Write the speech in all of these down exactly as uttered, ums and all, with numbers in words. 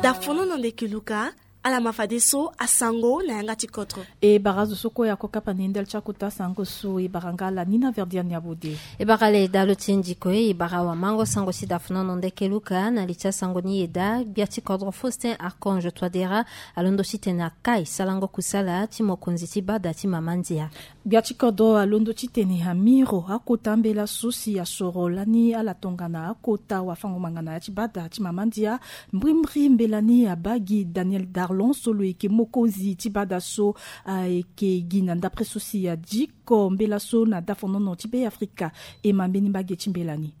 Dafonono ndeke Luka. Ala ma fadeso asango na yanga ti kodro. E bara azo so kue ako kapa na ye ndali ti akota sango so e bara nga ala ni na verdiane ya bode. E bara ala e daa lo ti e ndiko e e bara awamango sango ti dafonono ndeke Luka na li ti asango ni e daa gbia ti kodro Faustin Archange Touadera alondo titene akai sarango kusala ti mokonzi ti bada ti mama ndia. Gbia ti kodro alondo titene amiro akota mbela so si asoro lani ala tongana akota wafango-ngbanga na ya ti bada ti mama ndia. Mbrimbri mbela ni abaa gi Daniel Darlon so lo yeke mokonzi ti bada so ayeke gi na ndapre so si adiko mbela so na dafonono ti Beafrika. E ma mbeni mbage ti mbela ni.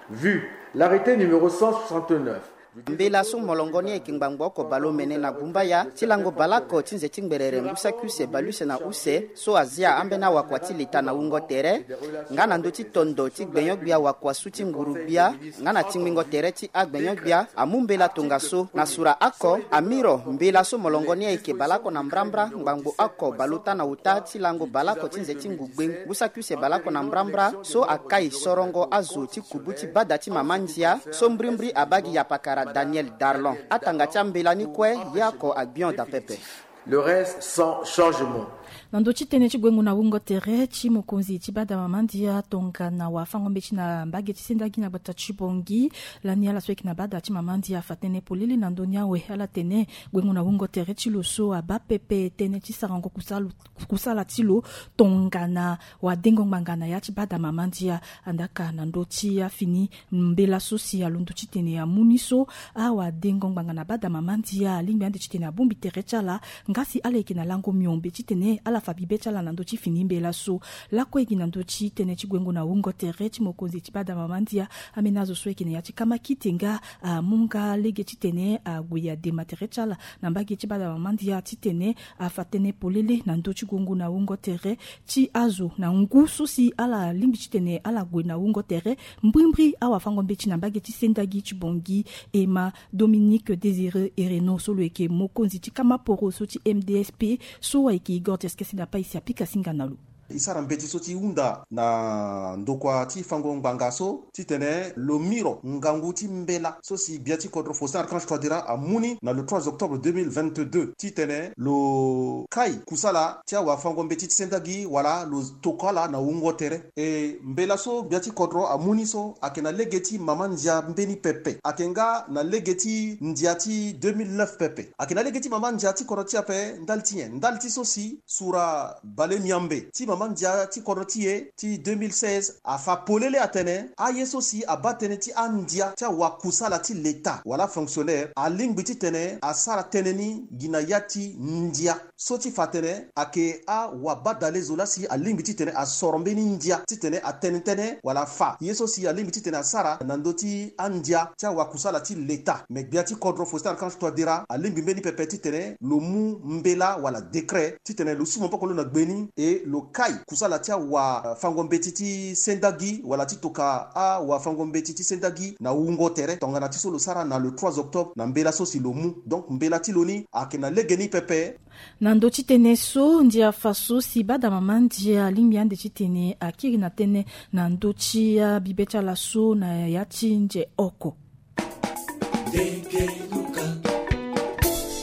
Vu l'arrêté numéro cent soixante-neuf. Mbela so molongo ni ayeke ngbangbo oko baleomene na gumbaya ti lango baleoko ti nze ti ngberere ngu saki use baleuse na use so azia ambeni awakua ti leta na wungo tere nga na ndö ti tondo ti gbenyo-gbia wakua su ti nguru-gbia nga na tingbingo tere ti agbenyo-gbia amu mbela tongaso na sura oko. Amiro mbela so molongo ni ayeke baleoko na mbrambra ngbangbo oko baleota na ota ti lango baleoko ti nze ti ngugbe ngu saki use baleoko na mbrambra so akai sorongo azo ti kubu ti bada ti mama ndia so mbrimbri abaa gi yapakara Daniel Darlon. Atanga ti ambela ni kue ye oko agbion daa pepe. Le reste sans changement. Na ndö ti tënë ti gbengo na wungo tere ti mokonzi ti bada mama ndia tongana wafango-mbeti na mbage ti sendagi na gbata ti Bangui, lani ala so ayeke na bada ti mama ndia afa tënë polele na ndö ni awe. Ala tene gbengo na wungo tere ti lo so abaa pepe tënë ti sarango kusala kusala ti lo tongana wadengo-ngbanga na ya ti bada mama ndia. Andaka na ndö ti afini mbela so si alondo titene amu ni so awadengo-ngbanga na bada mama ndia alingbi ande titene abongbi tere ti ala. Nga si ala yeke na lango miombe titene ala fa bibe ti ala na ndö ti fini mbela so. Lakue gi na ndö ti tënë ti gwengo na wungo tere ti mokonzi ti bada mama ndia, ambeni azo so ayeke na ya ti kamakite nga amu nga lege titene ague adema tere ti ala na mbage ti bada mama ndia titene afa tënë polele na ndö ti gongo na wungo tere ti azo na ngu so si ala lingbi titene ala gue na wungo tere. Mbrimbri awafango-mbeti na mbage ti sendagi ti Bangui, e ma Dominique Désiré Hereno so lo yeke mokonzi ti kamaporo so ti M D S P so ayeke igor ti eskese na paisi apika singa na lo. E sara mbeti so ti hunda na ndokua ti fango ngbanga so titene lo miro ngangu ti mbela so si gbia ti kodro Faustin Archange Touadéra amu ni na le trois octobre deux mille vingt-deux titene lo kai kusala ti awafango-mbeti ti sendagi wala lo tokua ala na wungo tere. E mbela so gbia ti kodro amu ni so ayeke na lege ti mama ndia mbeni pepe, ayeke nga na lege ti ndia ti deux mille neuf pepe. Ayeke na lege ti mama ndia ti kodro ti ape ndali ti nyen? Ndali ti so si sura bale miambe ti mama ndia ti kodro ti e ti deux mille seize afa polele atene aye so si abaa tënë ti andia ti awakusala ti leta wala fonctionnaire alingbi titene asara tënë ni gi na ya ti ndia so ti fa atene ayeke awabadale zo laa si alingbi titene asoro mbeni ndia titene atene tënë wala afa ye so si alingbi titene asara na ndö ti andia ti awakusala ti leta. Me gbia ti kodro Faustin Archange Touadéra alingbi mbeni pepe titene lo mu mbela wala décret titene lo su maboko lo na gbe ni e lo kai kusala ti awafango-mbeti ti sendagi wala ti toka awafango-mbeti ti sendagi na wungo tere tongana ti so lo sara na le trois octobre na mbela so si lo mu. Donc mbela ti lo ni ayeke na lege ni pepe. Na ndö ti tënë so ndia fa so si bada mama ndia alingbi ande titene akiri na tënë na ndö ti abibe ti ala so na ya ti nze oko.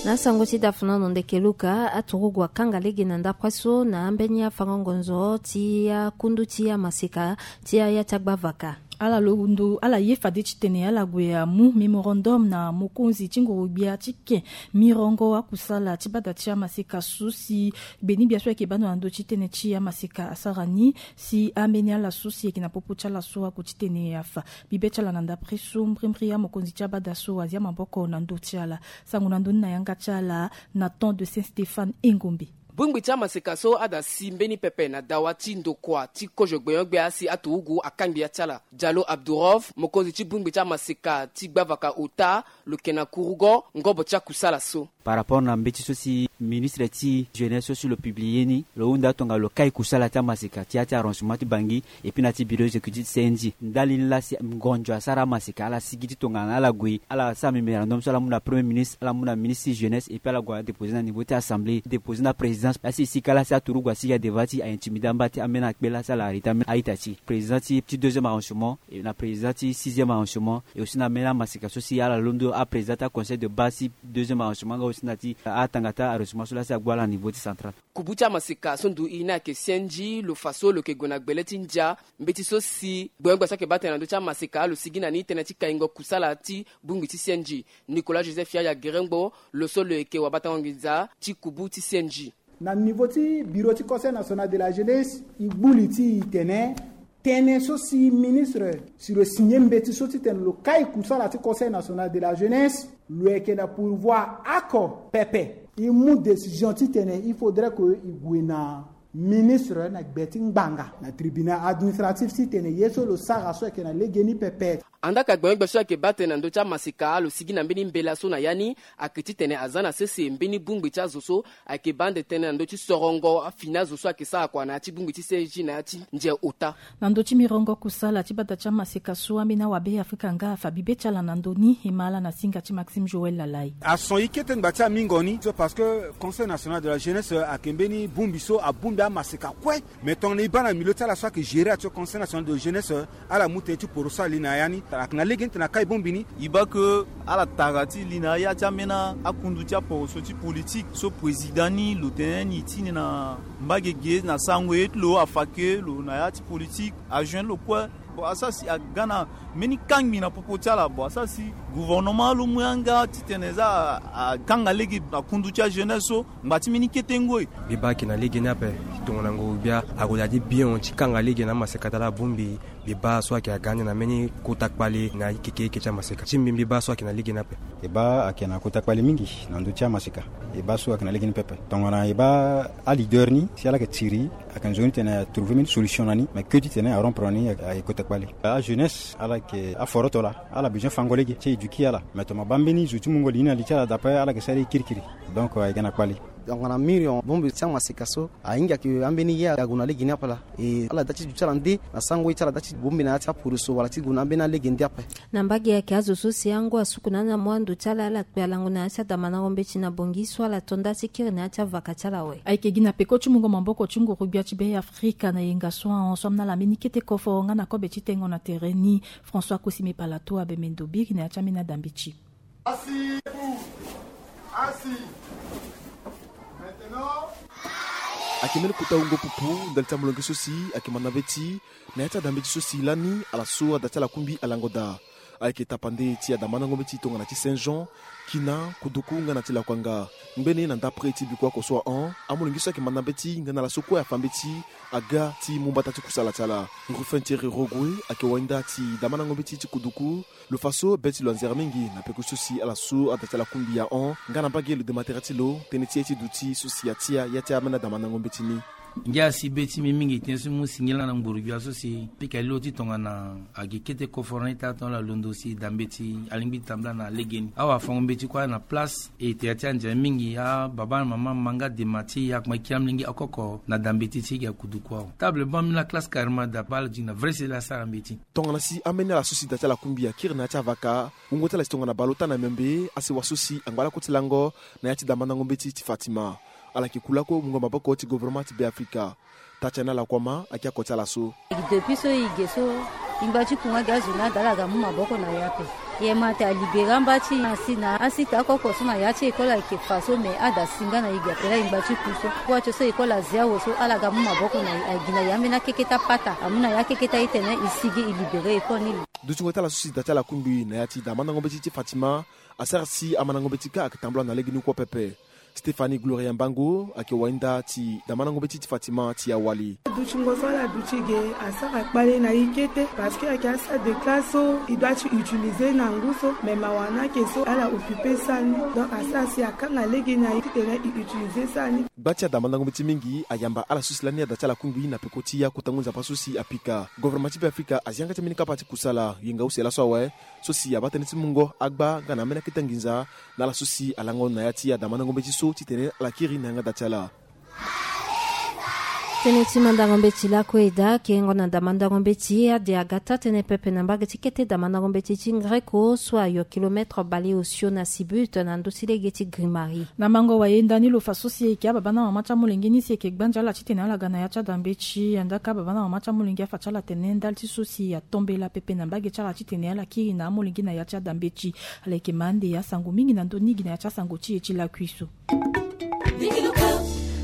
Na sango ti dafonono ndeke Luka, aturugu akanga lege na ndapre so na ambeni afango ngonzo ti akundu ti amaseka ti aya ti agbavaka. Ala londo ala ye fade titene ala gue amu mémorandum na mokonzi ti nguru-gbia ti ke mirongo akusala ti bada ti amaseka so si gbeni gbia so ayeke baa ndo na ndö ti tënë ti amaseka asara ni si ambeni ala so si ayeke na popo ti ala so ague titene afa bibe ti ala na ndapre so mbrimbri amokonzi ti abada so azia maboko na ndö ti ala. Sango na ndö ni na yanga ti ala na temps de Saint Stéphane Engombe. Bongbi ti amaseka so ada si mbeni pepe na dawa ti ndokua ti kozo gbenyo-gbia si aturugu akangbi ya ti ala. Diallo Abdourov, mokonzi ti bongbi ti amaseka ti gbavaka ota, lo yeke na kurugo ngobo ti akusala so. Par rapport na mbeti so si ministre ti jeunesse so si lo publie ni, lo hunda tongana lo kai kusala ti amaseka ti ya ti arrangement ti Bangui et puis na ti bureau exécutif ti C N J. Ndali ni laa si ngonzo asara amaseka ala sigi ti tongana ala gue ala sara mémorandum so ala mu na premier ministre, ala mu na ministre ti jeunesse et puis ala gue ala déposer na niveau ti assemblée, déposer na président. Président asi e sika lasi aturugu asigi adeva ti a intimidé amba ti ambeni akpe lasi ala arrêté ambeni a-ita ti président ti deuxième arrangement, na président ti sixième arrangement, et aussi na ambeni amaseka so si ala londo aprésident ti aconseil de base ti deuxième arrangement nga aussi na ti atanga ti arrangement so lasi ague ala niveau ti central. Kubu ti amaseka so ndu i ni ayeke C N J, lo fa so lo yeke gue na gbele ti ndia. Mbeti so si gbengbia so ayeke baa tene na ndö ti amaseka lo sigi na ni tënë ti kaingo kusala ti bongbi ti C N J. Nicolas Joseph Yaya Gerengbo, lo so lo yeke wabatango nginza ti kubu ti C N J. Na niveau ti bureau ti Conseil national de la jeunesse, e gbu li ti e tene, tënë so si ministre si lo signe mbeti so titene lo kai kusala ti Conseil national de la jeunesse, lo yeke na pourvoir oko pepe. E mu décision titene il faudrait que e gue na ministre na gbe ti ngbanga na tribunal administratif titene ye so lo sara so ayeke na legeni pepe. Andaa ka gbengbia so ayeke baa tënë na ndö ti amaseka lo sigi na mbeni mbela so na ya ni ayeke titene aza na sese mbeni bongbi ti azo so ayeke baa ande tënë na ndö ti sorongo afini azo so ayeke sara kua na ya ti bongbi ti C N J na ya ti ndia ota. Na ndö ti mirongo kusala ti bata ti amaseka so ambeni awabe Afrika nga afa bibe ti ala na ndö ni, e ma ala na singa ti Maxime Joël Lalai. Ason e kete ngba ti amingo ni so parce que Conseil national de la jeunesse ayeke mbeni bongbi so abongbi amaseka kue. Mais tongana e baa na milieu ti ala so ayeke gérer action Conseil national de jeunesse, ala mu tënë ti poroso ali na ya ni. Ayeke na lege ni tene akai bongbi ni. E baa ke ala tara ti li na ya ti ambeni akundu ti aporoso ti politique so président ni lo tene ni ti ni na mbage ge na sango ye ti lo afa ke lo na ya ti politique ajoindre lo kue. Bon, asara si aga na mbeni kangbi na popo ti ala. Bon, asara si gouvernement lo mu yanga titene za akanga lege na kundu ti ajeunesse so ngba ti mbeni kete ngoi. Mbi baa ayeke na lege ni ape. Tongana ngu gbia ague daa ti bion ti kanga lege na amaseka ti ala abongbi. Mbi baa so ayeke aga ande na mbeni kota kpale na ikekeike ti amaseka ti mbi. Mbi baa so ayeke na lege ni ape. E baa ayeke na kota kpale mingi na ndö ti amaseka. E baa so ayeke na lege ni pepe. Tongana e baa aleader ni si ala yeke tiri, ayeke nzoni titene atrouver mbeni solution na ni, mais ke titene arompre na ni ayeke kota kpale. Ajeunesse ala yeke aforoto laa, ala besoin fango lege ti éduquer ala. Mais tongana baa mbeni zo ti mungo li ni na li ti ala daa ape, ala yeke sara ye kirikiri. Donc ayeke na kpale. Donc na mirion bongbi ti amaseka so ahinga ke ambeni ye ague na lege ni ape laa. E ala daa ti duti ala nde na sango ye ti ala daa ti bongbi na ya ti aporoso wala ti gue na ambeni alege nde ape. Na mbage ayeke azo so si angu asuku na anda mu ando ti ala, ala kpe alango na ya ti adamandango mbeti na bongi so ala to nda ti kiri na ya ti avaka ti ala awe. Ayeke gi na peko ti mungo maboko ti nguru-gbia ti Be Afrika na yenga so ahon so amena ala mbeni kete koforo nga na kobe ti tengo na tere ni. François Kosime Palato abe mendo biri na ya ti ambeni adambeti. Asi. Asi. Maintenant. Ayeke mbeni kota wungo pupu ndali ti amolenge so si ayeke manda mbeti na ya ti adambeti so si lani ala so ada ti ala kungbi alango daa. Ayeke tapande ti adamandango mbeti tongana ti Saint Jean, Kina, Kuduku nga na ti Lakuanga. Ngbene na ndapre ti biko oko so ahon, amolenge so ayeke manda mbeti nga na ala so kue afa mbeti aga ti mu mbata ti kusala ti ala. Ruffin Thierry Rogoe ayeke wainda ti damandango mbeti ti Kuduku. Lo fa so be ti lo anzere mingi na peko so si ala so ada ti ala kungbi ahon nga na mbage lo dema tere ti lo tënë ti ye ti duti so si atia ya ti ambeni adamandango mbeti ni. Ngia si be ti mbi mingi tënë so mbi mu singila na nguru-gbia so si pika lilo ti tongana agi kete koforo ni taa tongana ala londo si da mbeti alingbi tambula na legeni. Awafango mbeti kue na place. E tere ti anzere mingi ababa na mama ma nga dema ti e akuma kiri amolenge oko oko na da mbeti ti e gi akudu kue awe. Table banc mbi na classe carrément da baa ala duti na vrai sele asara mbeti. Tongana si ambeni ala so si da ti ala kungbi akiri na ya ti avaka, wungo ti ala si tongana baleota na miombe asewa so si angba lakue ti lango na ya ti damandango mbeti ti Fatima. Ala yeke ku lakue mungo maboko ti gouvernement ti Be Afrika. Tatiana Lakuama ayeke oko ti ala so. Depuis so e ge so, e ngba ti ku nga gi azo ni ada ala ga mu maboko na e ape. E ma ate alibéré amba ti asi na asita oko oko so na ya ti école ayeke fa so, me ada si nga na e ge ape laa e ngba ti ku so. Kua ti so école azi awe so ala ga mu maboko na e, agi na e ambeni akeke ti apata amu na e akeke ti aye tene e sigi e libéré école ni. Dutingo ti ala so si da ti ala kungbi na ya ti damandango mbeti ti Fatima asara si amandango mbeti kâ ayeke tambula na legeni kue pepe. Stéphanie Gloria Mbango ayeke wainda ti damandango mbeti ti Fatima ti awali. Dutingo so ala duti ge asara kpale na e kete parce que ayeke asalle de classe so e doit ti utiliser na ngu so, me mawa ni ayeke so ala occuper salle ni, donc asara si akanga lege na e titene e utiliser salle ni. Gba ti adamandango mbeti mingi ayamba ala so si lani ada ti ala kungbi na peko ti ya kota ngu nzapa so si apika. Gouvernement ti Be Afrika azi yanga ti ambeni kapa ti kusala yenga use laso awe. So si abaa tënë ti mungo agba nga na ambeni akete nginza na ala so si alango na ya ti adamandango mbeti so titene ala kiri na yanga da ti ala. Tënë ti mandango mbeti lakue eda. Kengo na damandango mbeti ade aga taa-tënë pepe na mbage ti kete damandango mbeti ti Ngreko so ayo kilomètre baleosio na Sibut na ndö ti lege ti Grimari. Na mango wayenda ni lo fa so si eke ababa na mama ti amolenge ni si eke gbanzi ala titene ala ga na ya ti adambeti. Andaka ababa na mama ti amolenge afa ti ala tene ndali ti so si atombela pepe na mbage ti ala titene ala kiri na amolenge na ya ti adambeti. Ala eke ma ande asango mingi na ndö ni gi na ya ti asango ti e ti lakui so.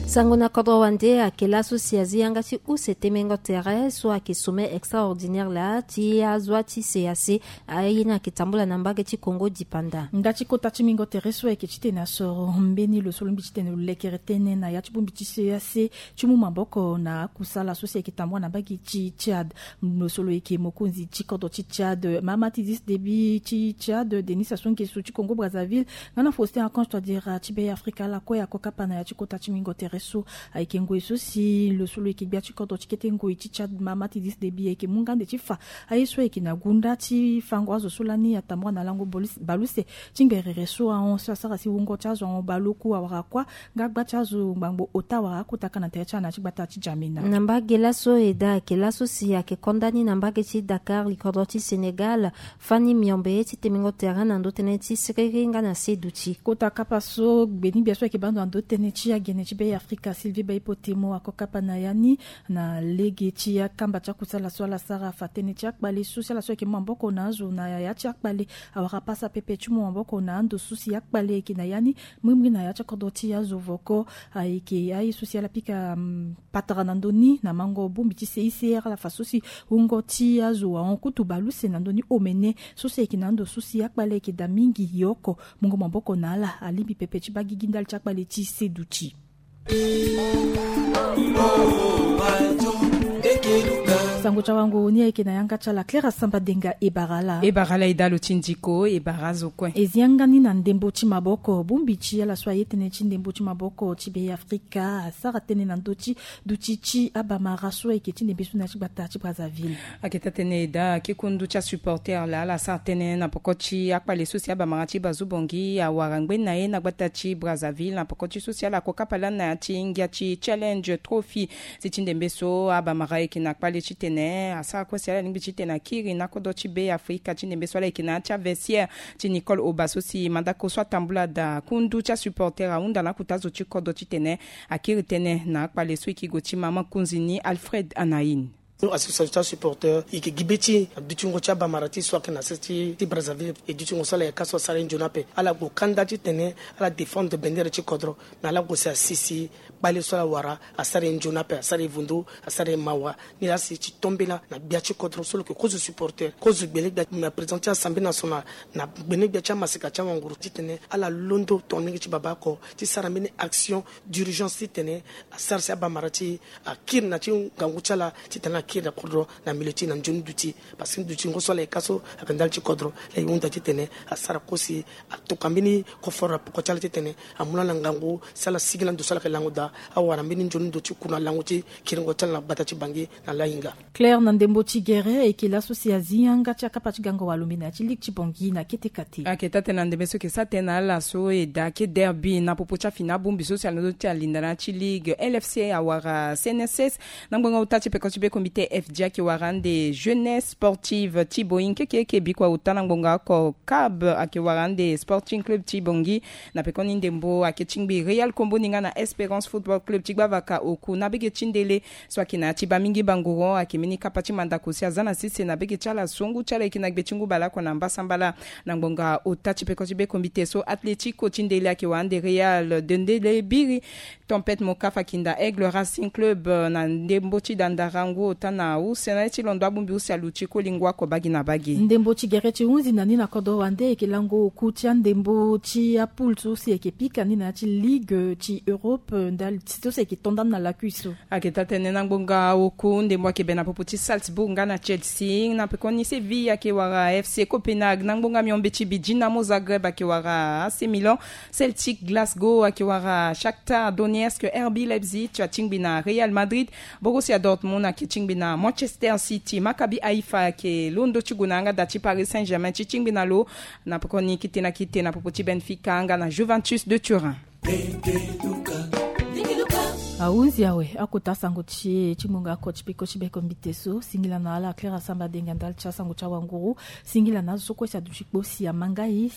Sango na kodro wande ayeke laso si azi yanga ti use temengo tere so ayeke sommet extraordinaire laa ti azo ti C E E A C. Aye ni ayeke tambula na mbage ti Congo dipanda. Nda ti kota ti mingo tere so ayeke titene asoro mbeni lo so lo mbi titene lo lekere tënë na ya ti bongbi ti C E E A C ti mu maboko na akusala so si ayeke tambula na mbage ti Tchad. Lo so lo yeke mokonzi ti kodro ti Tchad, Mahamat Idriss Déby ti Tchad, Denis Sassou Nguesso ti Congo Brazzaville, nga na Faustin Archange Touadéra ti Be Afrika, ala kue ako kapa na ya ti kota ti mingo tere so. Ayeke ngoi so si lo so lo yeke gbia ti kodro ti kete ngoi ti Tchad, Mahamat Idriss Déby, ayeke mu nga ande ti fa aye so ayeke na gunda ti fango azo so lani atambula na lango bolus- baluse ti ngerere so ahon so asara si wungo ti azo ahon baleoku awara kuâ nga gba ti azo ngbangbo ota awara akota ka na tere ti ala na ya ti gbata ti Djamena. Na mbage laso eda ayeke laso si ayeke konda ni na mbage ti Dakar, likodro ti Sénégal, fani miombe ti temengo tere na ndö tënë ti siriri nga na seduti. Kota kapa so gbeni gbia so ayeke baa ndo na ndö tënë ti agene ti Be Afrika, Sylvie Baipotemo, ako kapa na ya ni na lege ti akamba ti akusala so ala sara, afa tënë ti akpale so si ala so ayeke mu maboko na azo na ya ti akpale awara pasa pepe ti mu maboko na ando so si akpale ayeke na ya ni. Mbrimbri na ya ti akodro ti azo voko ayeke aye so si ala pika, mm, patara na ndö ni na mango bongbi ti C I C R, ala fa so si wungo ti azo ahon kutu baluse na ndö ni omene so si ayeke na ando so si akpale ayeke daa mingi. Ye oko mungo maboko na ala alingbi pepe ti baa gigi ndali ti akpale ti seduti. Sango ti awango ni ayeke na yanga ti ala Claire Asamba Denga. E bara ala. E bara ala e daa lo ti ndiko, e bara azo kue. E zi yanga ni na ndembo ti maboko. Bongbi ti ala so aye tënë ti ndembo ti maboko ti Be Afrika asara tënë na ndö ti duti ti abamara so ayeke ti ndembe so na ya ti gbata ti Brazzaville. Ayeke taa-tënë eda, ake kundu ti asupporter laa ala sara tënë na poko ti akpale so si abamara ti Bazu Bongi awara ngbeni na ye na gbata ti Brazzaville na poko ti so si ala ko kapa lani na ya ti ngia ti Challenge Trophy. Si ti ndembe so abamara ayeke na kpale titene asara kue si ala lingbi titene akiri na kodro ti Be Afrika. Ti ndembe so ala yeke na ya ti avestiaire ti Nicole Oba so si mandako so atambula daa. Kundu ti asupporter ahunda na akota zo ti kodro titene akiri tënë na akpale so e ke gue ti mama kunzi ni Alfred Anaïn. Association ti asupporter e ke gi be ti adutingo ti abamara ti so ayeke na sese ti Brazzaville. E dutingo so ala yaka so asara ye nzoni ape. Ala gue kanda titene ala défendre bendere ti kodro. Mais ala gue si asi si kpale so ala wara asara ye nzoni ape, asara ye vundu, asara ye mawa. Ni laa si ti tombela na gbia ti kodro so lo yeke kozo supporter, kozo gbele gbia na président ti Assemblée nationale, na gbene gbia ti amaseka ti awanguru titene ala londo tongana lege ti baba oko ti sara mbeni action d'urgence titene asara si abamara ti akiri na ti ngangu ti ala titene ala kiri na kodro na milieu ti na nzoni duti. Parce que dutingo so ala yaka so ayeke ndali ti kodro. Ala ye hunda titene asara kue si atokua mbeni koforo na poko ti ala titene amu lani na ngangu si ala sigi lani ndo so ala yeke lango daa. Awara mbeni nzoni ndo ti kuru na lango ti kiringo ti ala na gbata ti Bangui na lahinga. Claire, na ndembo ti gere, e yeke laso si azi yanga ti akapa ti gango walombe na ya ti ligue ti Bangui na kete kate. Ayeke taa-tënë na ndembe so e yeke sara tënë na ala so e daa ake derby na popo ti afini abongbi so si alondo ti alinda na ya ti ligue. L F C awara C N S S. Na ngbonga ota ti peko ti be comité F D ayeke wara ande Jeunesse Sportive ti Boeing. Keke eke bikua ota na ngbonga oko, Cab ayeke wara ande Sporting Club ti Bangui. Na pekoni ndembo ayeke tingbi Real Komboni nga na Espérance Football Club ti Gbavaka Oku. Na bege ti ndele so ayeke na ya ti baa mingi banguru ayeke mbeni kapa ti mandako si aza na sese na bege ti ala so ngu ti ala yeke na gbe ti ngu baleoko na mbasambala. Na ngbonga ota ti peko ti be comité so, Atlético ti ndele ayeke wara ande Real de ndele biri. Tempête Moka Fakinda Aigle Racing Club, eh, na ndembo ti dandara ngu ota na use na ye ti londo abongbi use aluti koli ngu oko bagi na bagi. Ndembo ti gere ti hunzi na ni na kodro wande ayeke lango oku ti andembo ti apoule so si ayeke pika ni na ya ti ligue ti Europe, eh, ndali ti so si ayeke to ndani na lakui so. Ayeke taa-tënë na ngbonga oku ndembo ayeke be na popo ti Salzbourg nga na Chelsea. Na pekoni Séville ayeke wara F C Copenhague. Na ngbonga miombe ti bi Dinamo Zagreb ayeke wara A C Milan. Celtic Glasgow ayeke wara Shakhtar Donetsk. R B Leipzig atingbi na Real Madrid. Borussia Dortmund ayeke tingbi na Manchester City. Maccabi Haïfa ayeke londo ti gue na yanga daa ti Paris Saint-Germain ti tingbi na lo. Na pekoni kete na kete na popo ti Benfica nga na Juventus de Turin. Ahunzi awe akota asango ti e ti ngonga oko ti peko ti beko mbite so. Singila na ala Claire Asamba Denga ndali ti asango ti awanguru. Singila na azo so kue si aduti kpo si amanga e.